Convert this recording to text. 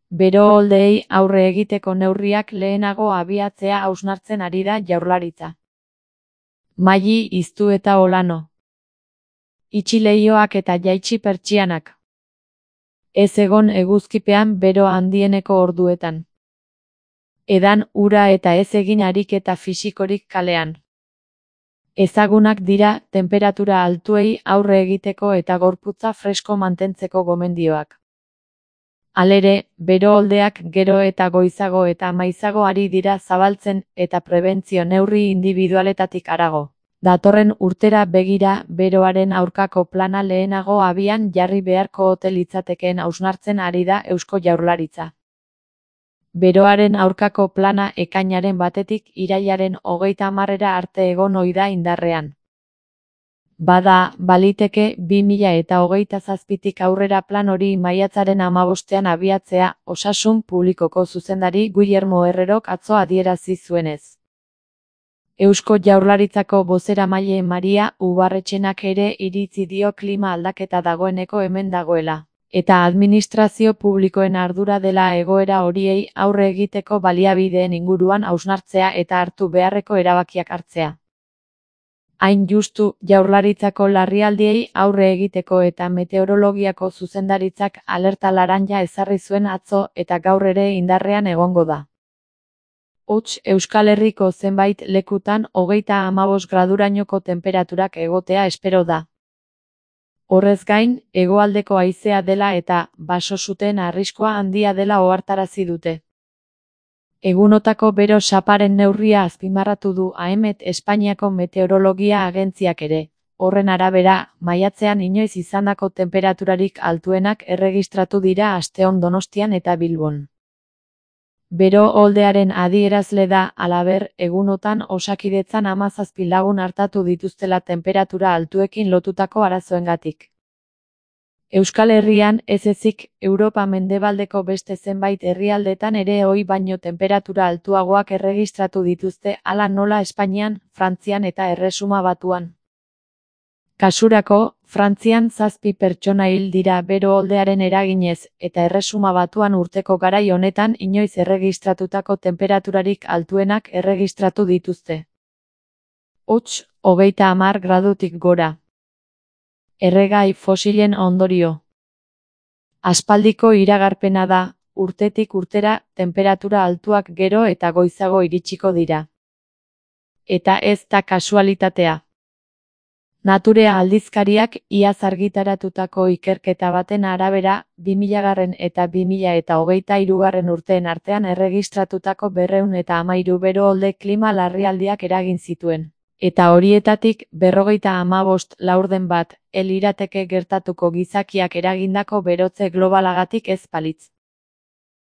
Bero-oldeei aurre egiteko neurriak lehenago abiatzea hausnartzen ari da Jaurlaritza. Maili Iztu eta Olano. Itxi leihoak eta jaitsi pertsianak. Ez egon eguzkipean bero handieneko orduetan. Edan ura eta ez egin ariketa fisikorik kalean. Ezagunak dira tenperatura altuei aurre egiteko eta gorputza fresko mantentzeko gomendioak. Halere, bero-oldeak gero eta goizago eta maizago ari dira zabaltzen eta prebentzio neurri indibidualetatik harago. Datorren urtera begira beroaren aurkako plana lehenago abian jarri beharko ote litzatekeen hausnartzen ari da Eusko Jaurlaritza. Beroaren aurkako plana ekainaren 1-tik irailaren 30 arte egon ohi da indarrean. Bada, baliteke 2027tik aurrera plan hori maiatzaren 15ean abiatzea, Osasun Publikoko zuzendari Guillermo Herrerok atzo adierazi zuenez. Eusko Jaurlaritzako bozeramaile Maria Ubarretxenak ere iritzi dio klima aldaketa dagoeneko hemen dagoela, eta administrazio publikoen ardura dela egoera horiei aurre egiteko baliabideen inguruan hausnartzea eta hartu beharreko erabakiak hartzea. Hain justu, Jaurlaritzako larrialdiei aurre egiteko eta meteorologiako zuzendaritzak alerta laranja ezarri zuen atzo eta gaur ere indarrean egongo da. Hots, Euskal Herriko zenbait lekutan 35 gradurainoko tenperaturak egotea espero da. Horrez gain, hegoaldeko haizea dela eta baso-suteen arriskua handia dela ohartarazi dute. Egunotako bero xaparen neurria azpimarratu du AEMET Espainiako Meteorologia Agentziak ere. Horren arabera, maiatzean inoiz izandako tenperaturarik altuenak erregistratu dira asteon Donostian eta Bilbon. Bero-oldearen adierazle da, halaber, egunotan Osakidetzan 17 lagun artatu dituztela tenperatura altuekin lotutako arazoengatik. Euskal Herrian, ez ezik, Europa mendebaldeko beste zenbait herrialdetan ere ohi baino tenperatura altuagoak erregistratu dituzte, hala nola Espainian, Frantzian eta Erresuma Batuan. Kasurako, Frantzian 7 pertsona hil dira bero-oldearen eraginez, eta Erresuma Batuan urteko garai honetan inoiz erregistratutako tenperaturarik altuenak erregistratu dituzte. Hots, 30 gradutik gora. Erregai fosilen ondorio. Aspaldiko iragarpena da, urtetik urtera tenperatura altuak gero eta goizago iritsiko dira. Eta ez da kasualitatea. Nature aldizkariak iaz argitaratutako ikerketa baten arabera, 2000 eta 2023 urteen artean erregistratutako 213 bero-olde klima larrialdiak eragin zituen. Eta horietatik 55 laurden bat, lirateke gertatuko gizakiak eragindako berotze globalagatik ez balitz.